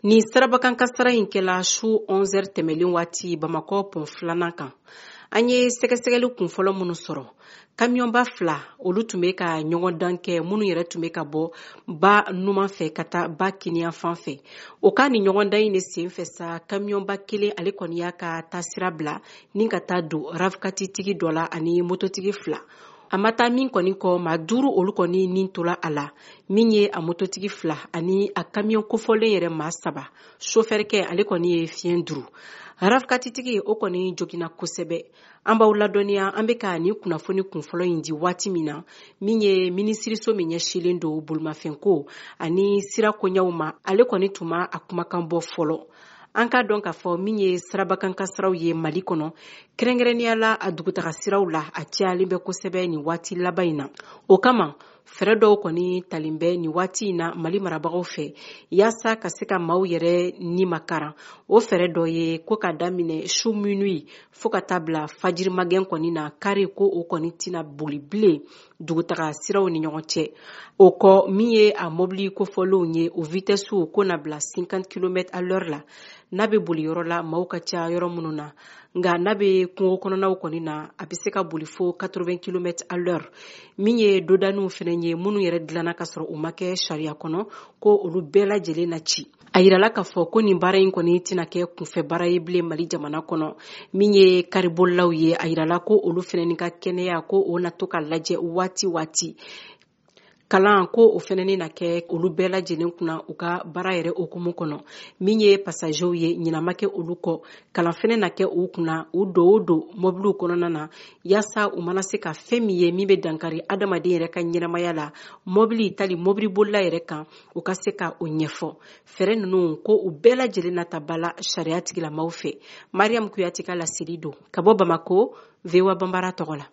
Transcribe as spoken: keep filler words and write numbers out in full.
Ni sirabakan kasara in kɛla su onze heures tɛmɛlen waati Bamakɔ pont filanan kan. An ye sɛgɛsɛgɛli kunfɔlɔ minnu sɔrɔ, kamiyɔnba fila olu tun bɛ ka ɲɔgɔn dan kɛ, minnu yɛrɛ tun bɛ ka bɔ ba numan fɛ ka taa ba kiniyan fan fɛ. O ka ni ɲɔgɔn dan in de sen fɛ sa, kamiyɔnba kelen ale kɔni y'a ka taasira bila ni ka taa don rafkatitigi dɔ la ani mototigi fila. A ma taa min kɔni kɔ, maa duuru olu kɔni nin tora a la, min ye a mototigi fila ani a kamiyɔn kofɔlen yɛrɛ maa saba. Sofɛrikɛ ale kɔni ye fiɲɛ duuru. Rafkatitigi o kɔni joginna kosɛbɛ. An b'aw ladɔnniya, an bɛ ka nin kunnafoni kunfɔlɔ in di waati min na, min ye minisiriso min ɲɛsinlen don bolimafɛnko ani sira koɲɛw ma, ale kɔni tun ma a kumakan bɔ fɔlɔ. An k'a dɔn k'a fɔ min ye sirabakan kasaraw ye Mali kɔnɔ, kɛrɛnkɛrɛnnenya la a dugutaga siraw la, a cayalen bɛ kosɛbɛ nin waati laban in na. O kama fɛɛrɛ dɔw kɔni talen bɛ nin waati in na Mali marabagaw fɛ yaasa ka se ka maaw yɛrɛ ni makaran. O fɛɛrɛ dɔ ye ko ka daminɛ su minuit fo ka taa bila fajiri magɛn kɔni na, kari ko o kɔni tɛna boli bilen dugutaga siraw ni ɲɔgɔn cɛ. O kɔ, min ye a mobili kofɔlenw ye, o vitesse ko na bila cinquante kilomètres à l'heure la n'a bɛ boli yɔrɔ la maaw ka ca yɔrɔ minnu na. Nka n'a bɛ kungo kɔnɔnaw kɔni na, a bɛ se ka boli fo quatre-vingts kilomètres à l'heure. Min ye dodaniw fɛnɛ ye, minnu yɛrɛ dilanna ka sɔrɔ u ma kɛ sariya kɔnɔ, ko olu bɛɛ lajɛlen na ci. A yirala k'a fɔ ko nin baara in kɔni tɛna kɛ kunfɛ baara ye bilen Mali jamana kɔnɔ. Min ye karibolilaw ye, a yirala ko olu fɛnɛ ni ka kɛnɛya ko o na to ka lajɛ waati waati. Kalan ko o fɛnɛ na kɛ olu bɛɛ lajɛlen kunna u ka baara yɛrɛ hukumu kɔnɔ. Min ye passagerw ye, ɲinan ma kɛ olu kɔ, kalan fɛnɛ na kɛ u kunna u don o don mobiliw kɔnɔna na, yaasa u mana se ka fɛn min ye min bɛ dankari adamaden yɛrɛ ka ɲɛnamaya la, mobili tali mobilibolila yɛrɛ kan, u ka se ka o ɲɛfɔ. Fɛɛrɛ ninnu ko u bɛɛ lajɛlen na ta ba la sariya tigilamaw fɛ. Mariam Kuyate ka laseli don ka bɔ Bamako, V O A Banbara tɔgɔ la.